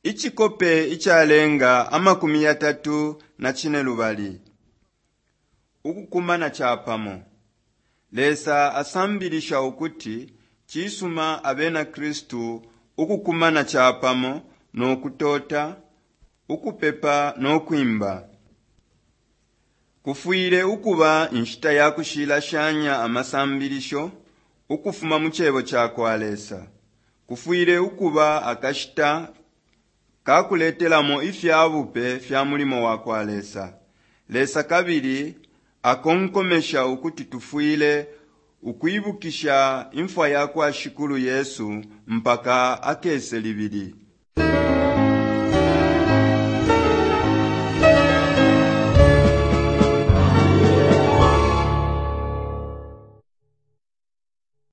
Icikope icalenga 32. Ukukumana capamo. Lesa asambilisha ukuti cisuma abena Kristu ukukumana capamo no kutota, ukupepa no kwimba. Kufwile ukuba inshita ya kushilashanya amasambilisho ukufuma mu cebo cakwa Lesa. Kufwile ukuba akashita kakuletelamo ifya bupe fya mulimo wakwa Lesa. Lesa kabili akonkomesha ukuti tufwile ukwibukisha imfwa yakwa Shikulu Yesu mpaka akese libili.